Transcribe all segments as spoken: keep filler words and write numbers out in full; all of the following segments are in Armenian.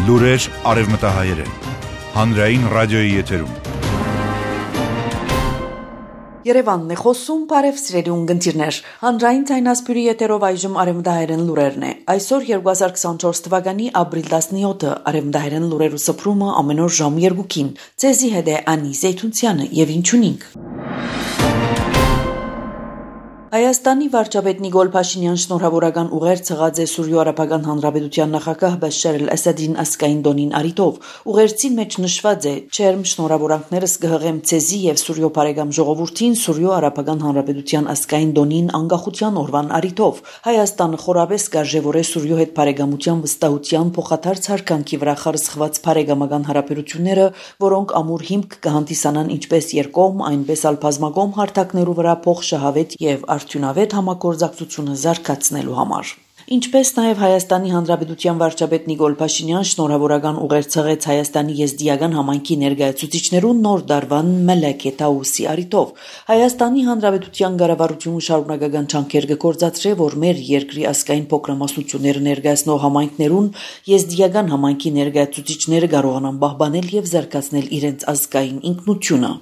Լուրեր արևմտահայերեն, հանրային ռադիոյի եթերում։ Երևանն է խոսում, բարև սիրելի ունկնդիրներ, հանրային ձայնասպյուրի եթերով այժմ արևմտահայերեն լուրերն է։ Այսօր երկու հազար քսաներկու թվականի ապրիլ տասնյոթը արևմտահայերեն լուրերու սփռումը ամեն օր ժամ երկուին։ Ձեզի հետ է Անի Զեյթունցյանը եւ ինչունինք։ Հայաստանի վարչապետ Նիկոլ Փաշինյան շնորհավորական ուղեր ցղած է Սուրիո-Արաբական Հանրապետության նախագահ Բաշար al-Ասադին ասկային դոնին արիտով։ Ուղերձին մեջ նշված է. «Չերմ շնորհավորանքներս կհղեմ ցեզի եւ Սուրիո բարեկամ ժողովրդին Սուրիո-Արաբական Հանրապետության ասկային դոնին անկախության օրվան արիտով։ Հայաստանը խորաբես կարժևորե Սուրիո հետ բարեկամության վստահության փոխադարձ հարկանքի վրա խարսխված բարեկամական հարաբերությունները, որոնք ամուր հիմք կհանդիսանան ինչպես երկկողմ, այնպես էլ բազմակողմ հարթակներու վրա փոխշահավետ եւ արդյունավետ համագործակցությունը զարգացնելու համար»։ Ինչպես նաև Հայաստանի Հանրապետության վարչապետ Նիկոլ Փաշինյան շնորհավորական ուղեր ցղեց Հայաստանի եզդիական համայնքի ներկայացուցիչներուն նոր դարվան Մելեքե Տաուսի արիտով։ Հայաստանի Հանրապետության կառավարությունը շարունակական ջանքեր կգործադրե, որ մեր երկրի ազգային փոքրամասնությունները ներկայացնող համայնքներուն եզդիական համայնքի ներկայացուցիչները կարողանան պահպանել եւ զարգացնել իրենց ազգային ինքնությունը։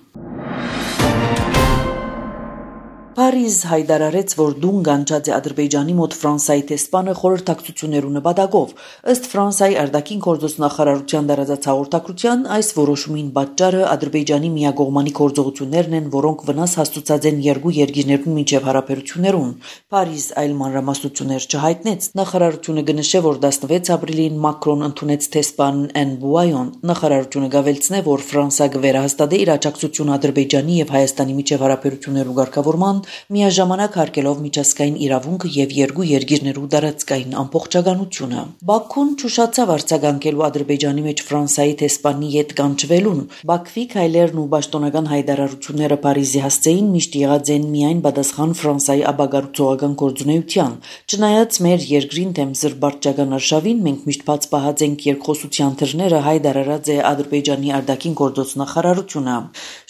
Փարիզ հայտարարեց, որ դուն գանչած է Ադրբեջանի մոտ Ֆրանսիայի տեսփանը խորհրդակցություններու նպատակով։ Ըստ Ֆրանսիայի արտաքին գործոս նախարարության դարածած հաղորդակցության, այս որոշումին պատճառը Ադրբեջանի միակողմանի գործողություններն են, որոնք վնաս հասցուցած են երկու երկիրներուն միջև հարաբերություններուն։ Փարիզ այլ մանրամասնություններ չհայտնեց։ Նախարարությունը կնշե, որ տասնվեց ապրիլին Մակրոն ընդունեց տեսփան Էնբուայոն։ Նախարարությունը գավելցնե, որ Ֆրանսիա կվերահաստատի իր աջակցությունը Ադրբեջանի եւ Հայաստանի միջև հարաբերություններու ղեկավարման միաժամանակ հարգելով միջազգային իրավունքը եւ երկու երկիրներու տարածքային ամբողջականությունը։ Բաքուն ճուշացավ արձագանքելու Ադրբեջանի մեջ Ֆրանսիայի տեսփանի հետ կանչվելուն։ Բաքվի քայլերն ու պաշտոնական հայտարարությունները Փարիզի հասցեին միշտ եղած են միայն պատասխան Ֆրանսիայի աբագարուցողական գործունեության։ Չնայած մեր երկրին դեմ զրբարճական արշավին մենք միշտ բաց պահած ենք երկխոսության թռները, հայտարարած է Ադրբեջանի արտաքին գործոս նախարարությունը։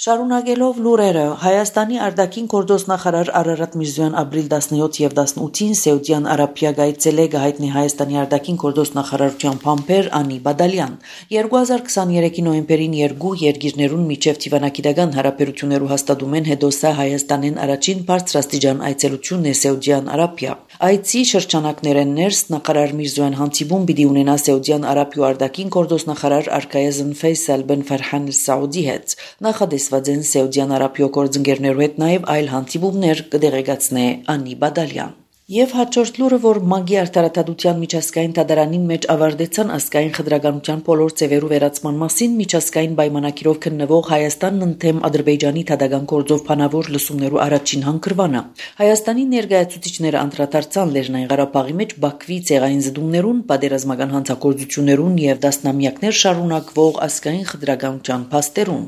Շարունակելով լուրերը, Հայաստանի արտաքին գործոս նախարար Արարատ Միրզոյան ապրիլ տասնյոթ եւ տասնութին Սեուդյան Արաբիա գայցել է հայտնի Հայաստանի արտաքին գործոս նախարարության փամփեր Անի Բադալյան։ երկու հազար քսաներեքի նոյեմբերին երկու երկիրներուն միջև դիվանագիտական հարաբերություններու հաստատումեն հետո սա Հայաստանեն առաջին բարձրաստիճան այցելությունն է Սեուդյան Արաբիա։ Այցի շրջանակներեն ներս նախարար Միրզոյան հանդիպում պիտի ունենա Սեուդյան Արաբիա արտաքին գործոս նախարար Արկայազն Ֆեյսալ բեն Ֆարհան Սաուդի հետ։ Նախադեсված են Սեուդյան Արաբիա գործընկերներու հետ նաև այլ հանդիպումներ կդեղեկացնե Անի Բադալյան։ Եվ հաջորդ լուրը, որ ՄԱԳ-ի արտարադատության միջազգային դատարանի մեջ ավարտեցան ազգային խտրականության բոլոր ձևերու վերացման մասին միջազգային պայմանագիրով քննվող Հայաստանն ընդդեմ Ադրբեջանի դատական գործով բանավոր լսումներու առաջին հանգրվանը։ Հայաստանի ներկայացուցիչները անդրադարձան Լեռնային Ղարաբաղի մեջ Բաքվի ցեղային զդումներուն, պատերազմական հանցագործություններուն եւ դասնամյակներ շարունակվող ազգային խտրականության փաստերուն։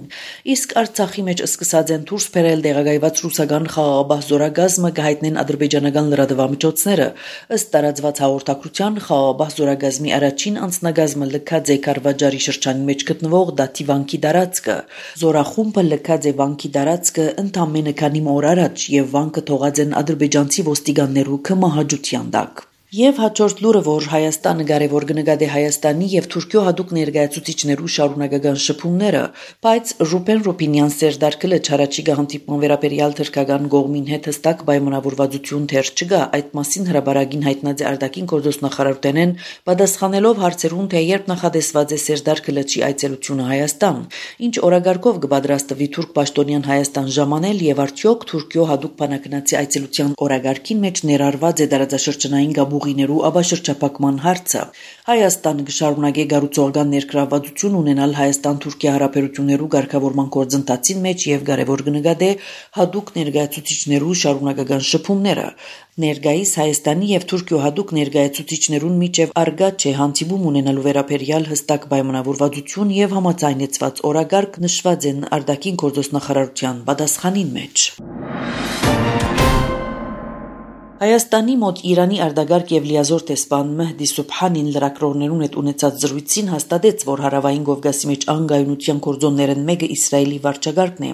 Իսկ Արցախի մեջ սկսած են դուրս բերել տեղակայված ռուսական խաղաղապահ զորագազմը կհայտնեն ադրբեջանական լրատվամիջոցները։ Ըստ տարածված հաղորդակցության խաղաղապահ զորագազմի առաջին անձնագազմը լքած է Կարվաճարի շրջանի մեջ գտնվող Դաթի վանքի տարածքը։ Զորախումբը լքած է վանքի տարածքը ընդամենը քանի օր առաջ եւ վանքը թողած են ադրբեջանցի ոստիկաններու կմահաճության տակ։ Եվ հաջորդ լուրը, որ Հայաստանը կարևոր կնկատի Հայաստանի եւ Թուրքիո հատուկ ներկայացուցիչներու շարունակական շփումները, բայց Ռուբեն Ռոբինյան Սերդարկը չարաչի հանդիպման վերաբերյալ թրքական գողմին հետ հստակ պայմանավորվածություն դեռ չկա։ Այդ մասին հրաբարագին հայտնած է արտաքին գործոս նախարարութենեն պատասխանելով հարցերուն, թե երբ նախադեсված է Սերդարկը լճի այցելությունը Հայաստան, ինչ օրագարկով կպատրաստվի թուրք պաշտոնյան Հայաստան ժամանել եւ արդյոք Թուրքիո հատուկ բանակնացի այցելության օրագարկին մեջ ներառված է տարածաշրջանային գաբուղիներու աբաշրջապակման հարցը։ Հայաստանը կշարունակի գառուցողական ներգրավվածություն ունենալ Հայաստան-Թուրքիա հարաբերություններու ղեկավարման գործընթացին մեջ եւ կարևոր կնկատի հատուկ ներկայացուցիչներու շարունակական շփումները։ Ներկայիս Հայաստանի եւ Թուրքիո հատուկ ներկայացուցիչներուն միջև արգա չէ հանդիպում ունենալու վերաբերյալ հստակ պայմանավորվածություն եւ համաձայնեցված օրագարկ նշված են արտաքին գործոս նախարարության պատասխանին մեջ։ Հայաստանի մոտ Իրանի արտագաղթ եւ լիազոր տեսփան Մեհդի Սուբհանին լրագրողներուն հետ ունեցած զրույցին հաստատեց, որ հարավային Կովկասի մեջ անգայունության կորձոններն մեկը Իսրայելի վարչագահն է,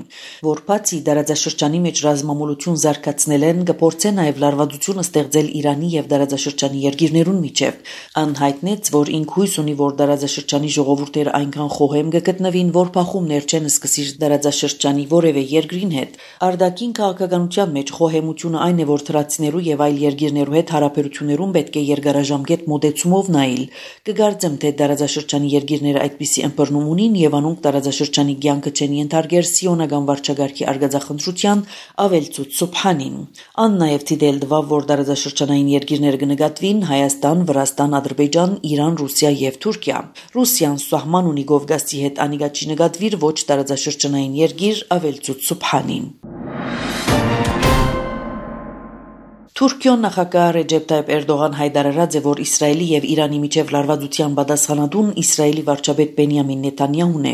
որ բացի դարաձաշրջանի մեջ ռազմամոլություն զարգացնել են, կփորձեն նաեւ լարվածություն ստեղծել Իրանի եւ դարաձաշրջանի երկիրներուն միջև։ Անհայտնեց, որ ինք հույս ունի, որ դարաձաշրջանի ժողովուրդները այնքան խոհեմ կգտնվին, որ փախումներ չեն սկսիր դարաձաշրջանի որևէ երկրին հետ։ Արտաքին քաղաքականության մեջ խոհեմությունը այն է, որ թրացիներու եւ այլ երկիրներու հետ հարաբերություններուն պետք է երկարաժամկետ մոդեցումով նայել։ Կգարձեմ, թե դարաձաշրջանի երկիրները այդպիսի ըմբռնում ունին եւ անոնք դարաձաշրջանի կյանքը չեն ենթարկեր սիոնական վարչագահի արգածախնդրության, ավելցուց Սուբհանին։ Ան նաեւ դիտել դվավ, որ դարաձաշրջանային երկիրները կնկատվին Հայաստան, Վրաստան, Ադրբեջան, Իրան, Ռուսիա եւ Թուրքիա։ Ռուսիան սահման ունի Կովկասի հետ, անիկա չի նկատվիր ոչ դարաձաշրջանային երկիր, ավելցուց Սուբհանին։ Թուրքիոն նախագահ Ռեջեփ Թայիփ Էրդողան հայտարարած է, որ Իսրայելի եւ Իրանի միջև լարվածության պատասխանատուն Իսրայելի վարչապետ Բենյամին Նեթանյահուն է։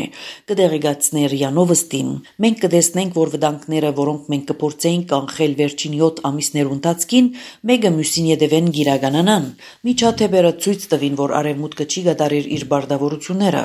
Կդեղեկացնի ՌԻԱ Նովոստին։ Մենք կտեսնենք, որ վտանգները, որոնք մենք կփորձեինք կանխել վերջին յոթ ամիսներու ընթացքին, մեկը մյուսին յետևեն գիրականանան։ Միջադեպերը ցույց տվին, որ արևմուտքը չի կատարիր իր բարդավորությունները։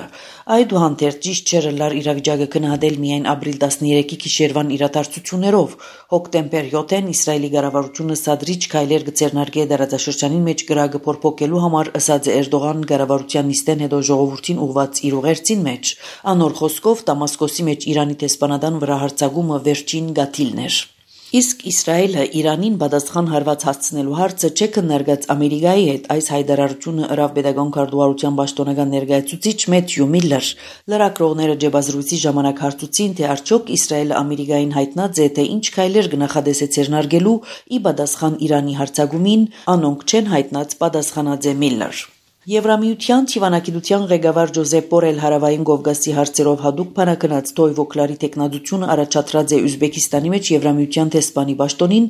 Այդուհանդերձ ճիշտ չէ լար իրավիճակը գնահատել միայն ապրիլ տասներեքի գիշերվան իրադարձություններով։ Հոկտեմբեր յոթին Իսրայելի կառավարությունը սադրիչ քայլեր կձեռնարկի դարաձաշրջանի մեջ կրակը փոփոխելու համար, ըսած Էրդողան կառավարության նիստեն հետո ժողովրդին ուղված իր ուղերձին մեջ։ Անոր խոսքով Դամասկոսի մեջ Իրանի տեսփանադան վրա հարձակումը վերջին գաթիլն էր։ Իսկ Իսրայելը Իրանին պատասխան հարված հասցնելու հարցը չէ քննարկած Ամերիկայի հետ։ Այս հայտարարությունը ըրավ Պետական քարտուղարության պաշտոնական ներկայացուցիչ Մեթյու Միլլեր։ Լրագրողները ջեբազրույցի ժամանակ հարցուցին, թե արդյոք Իսրայելը Ամերիկային հայտնած է, թե ինչ քայլեր կնախադեսե ձեռնարկելու ի պատասխան Իրանի հարձակումին, անոնք չեն հայտնած, պատասխանած է Միլլեր։ Եվրամիության թիվանագիտության ղեկավար Ջոզեփ Բորել հարավային Կովկասի հարցերով հadoop փանակնած Տոյվոկլարի տեխնադությունը առաջադրած է Ուզբեկիստանի մեջ Եվրամիության տեսփանի պաշտոնին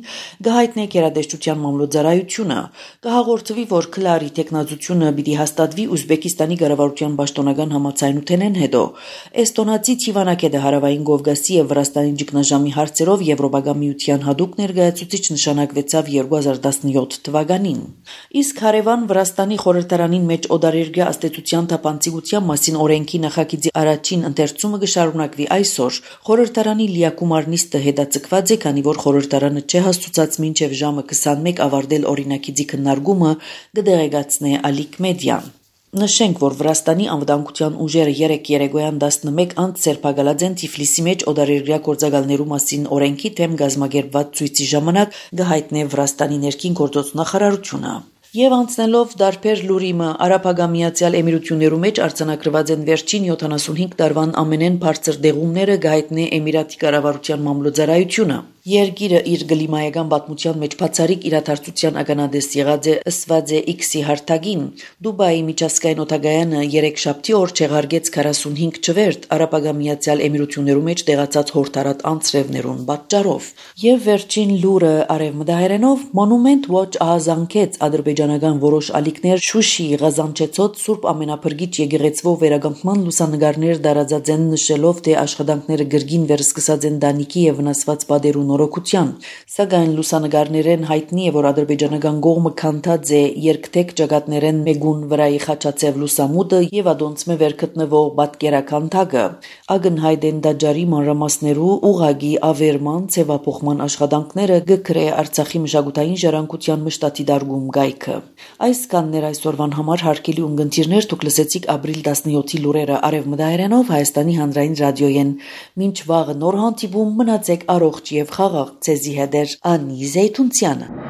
գահիտնե գերադեշտության մամլոյցարայությունը կհաղորդվի, որ Քլարի տեխնադությունը պիտի հաստատվի Ուզբեկիստանի կառավարության պաշտոնական համաձայնութենեն հետո։ Էստոնացի թիվանագետը հարավային Կովկասի եւ Վրաստանի ճգնաժամի հարցերով Եվրոպական միության հadoop ներկայացուցիչ նշանակվեցավ երկու հազար տասնյոթ թվականին։ Իսկ հարևան Վրաստանի խորհրդարանի մեջ օդարերգյա աստեցության թափանցիկության մասին օրենքի նախագիծի առաջին ընթերցումը կշարունակվի այսօր։ Խորհրդարանի լիակումար նիստը հետաձգված է, քանի որ խորհրդարանը չէ հասցուցած մինչև ժամը քսանմեկ ավարտել օրինագիծի քննարկումը, կդեղեկացնի Ալիկ Մեդիան։ Նշենք, որ Վրաստանի անվտանգության ուժերը երեկ երեկոյան տասնմեկ անց սերբակալած են Թիֆլիսի մեջ օդարերգյա գործակալներու մասին օրենքի թեմ կազմակերպված ցույցի ժամանակ կհայտնի Վրաստանի ներքին գործոց նախարարությունը։ Եվ անցնելով դարբեր լուրիմը, Արաբական Միացյալ Էմիրություններու մեջ արձանագրված են վերջին յոթանասունհինգ տարվան ամենեն բարձր դեղումները գահիտնի Էմիրատի կառավարության մամլոյցարայությունը։ Երկիրը իր գլիմայական պատմության մեջ բացառիկ իրադարձության ականադես եղած է ըսված է X-ի հարթակին։ Դուբայի միջազգային օդագայանը երեքշաբթի օր չեղարկեց քառասունհինգ չվերթ Արաբական Միացյալ Էմիրություններու մեջ տեղացած հորթարատ անձրևներուն պատճառով։ Եվ վերջին լուրը արևմտահայերենով Monument Watch ահազանգեց ադրբեջանական որոշ ալիքներ Շուշիի Ղազանչեցոտ Սուրբ Ամենափրկիչ եկեղեցվով վերականգնման լուսանգարներ դարածած են, նշելով, թե աշխատանքները գրգին վերսկսած են Դանիկի եւ վնասված բادرու նորոգության, սակայն լուսանգարներեն հայտնի է, որ ադրբեջանական կողմը քանթած է երկթեք ճակատներեն մեգուն վրայի խաչացև լուսամուտը եւ ադոնցմե վերգտնվող պատկերաքանթակը։ Ագնհայտ են դաջարի մանրամասներու ուղագի ավերման ցևափոխման աշխատանքները գկրե Արցախի մշակութային ժառանգության մշտատի դարգում գայքը։ Այս կաններ այսօրվան համար հարկելի ունգընտիրներ դուք լսեցիք ապրիլ տասնյոթի լուրերը արևմտահայերենով Հայաստանի հանրային ռադիոյեն։ Մինչ վաղը նոր հանդիպում մնացեք առողջ եւ խաղաղ ցեզի հետ Անի Զեյթունցյանը։